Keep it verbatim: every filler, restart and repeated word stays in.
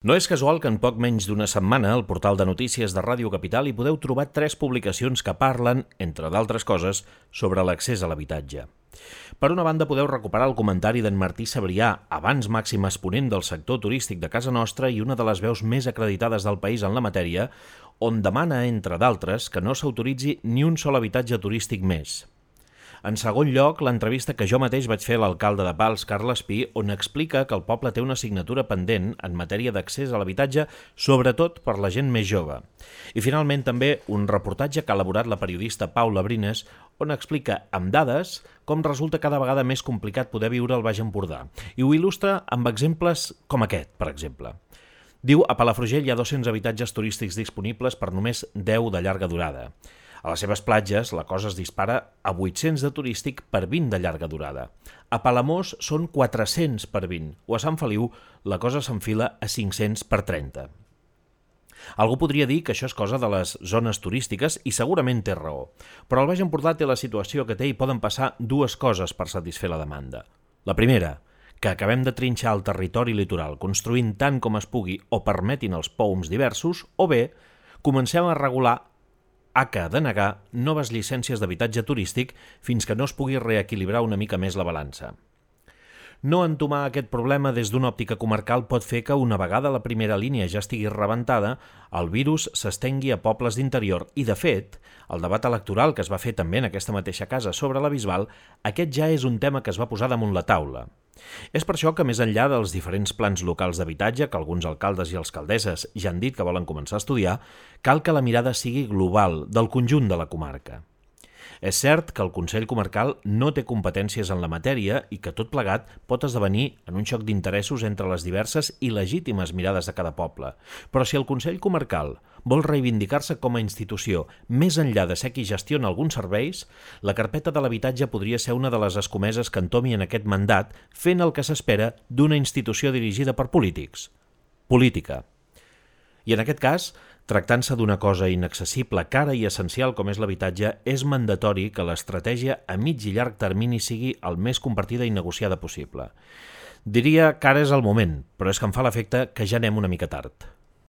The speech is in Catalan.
No és casual que en poc menys d'una setmana al portal de notícies de Ràdio Capital hi podeu trobar tres publicacions que parlen, entre d'altres coses, sobre l'accés a l'habitatge. Per una banda, podeu recuperar el comentari d'en Martí Sabrià, abans màxim exponent del sector turístic de casa nostra i una de les veus més acreditades del país en la matèria, on demana, entre d'altres, que no s'autoritzi ni un sol habitatge turístic més. En segon lloc, l'entrevista que jo mateix vaig fer a l'alcalde de Pals, Carles Pi, on explica que el poble té una assignatura pendent en matèria d'accés a l'habitatge, sobretot per la gent més jove. I finalment també un reportatge que ha elaborat la periodista Paula Brines, on explica amb dades com resulta cada vegada més complicat poder viure al Baix Empordà. I ho il·lustra amb exemples com aquest, per exemple. Diu, a Palafrugell hi ha dos-cents habitatges turístics disponibles per només deu de llarga durada. A les seves platges, la cosa es dispara a vuit-cents de turístic per vint de llarga durada. A Palamós són quatre-cents per vint, o a Sant Feliu la cosa s'enfila a cinc-cents per trenta. Algú podria dir que això és cosa de les zones turístiques i segurament té raó, però el Baix Empordà té la situació que té i poden passar dues coses per satisfer la demanda. La primera, que acabem de trinxar el territori litoral construint tant com es pugui o permetin els poums diversos, o bé, comencem a regular a que denegar noves llicències d'habitatge turístic fins que no es pugui reequilibrar una mica més la balança. No entomar aquest problema des d'una òptica comarcal pot fer que una vegada la primera línia ja estigui rebentada, el virus s'estengui a pobles d'interior i, de fet, el debat electoral que es va fer també en aquesta mateixa casa sobre la Bisbal, aquest ja és un tema que es va posar damunt la taula. És per això que, més enllà dels diferents plans locals d'habitatge que alguns alcaldes i alcaldesses ja han dit que volen començar a estudiar, cal que la mirada sigui global, del conjunt de la comarca. És cert que el Consell Comarcal no té competències en la matèria i que tot plegat pot esdevenir en un xoc d'interessos entre les diverses i legítimes mirades de cada poble. Però si el Consell Comarcal vol reivindicar-se com a institució més enllà de ser qui gestiona alguns serveis, la carpeta de l'habitatge podria ser una de les escomeses que entomi en aquest mandat fent el que s'espera d'una institució dirigida per polítics. Política. I en aquest cas, tractant-se d'una cosa inaccessible, cara i essencial com és l'habitatge, és mandatori que l'estratègia a mig i llarg termini sigui el més compartida i negociada possible. Diria que ara és el moment, però és que em fa l'efecte que ja anem una mica tard.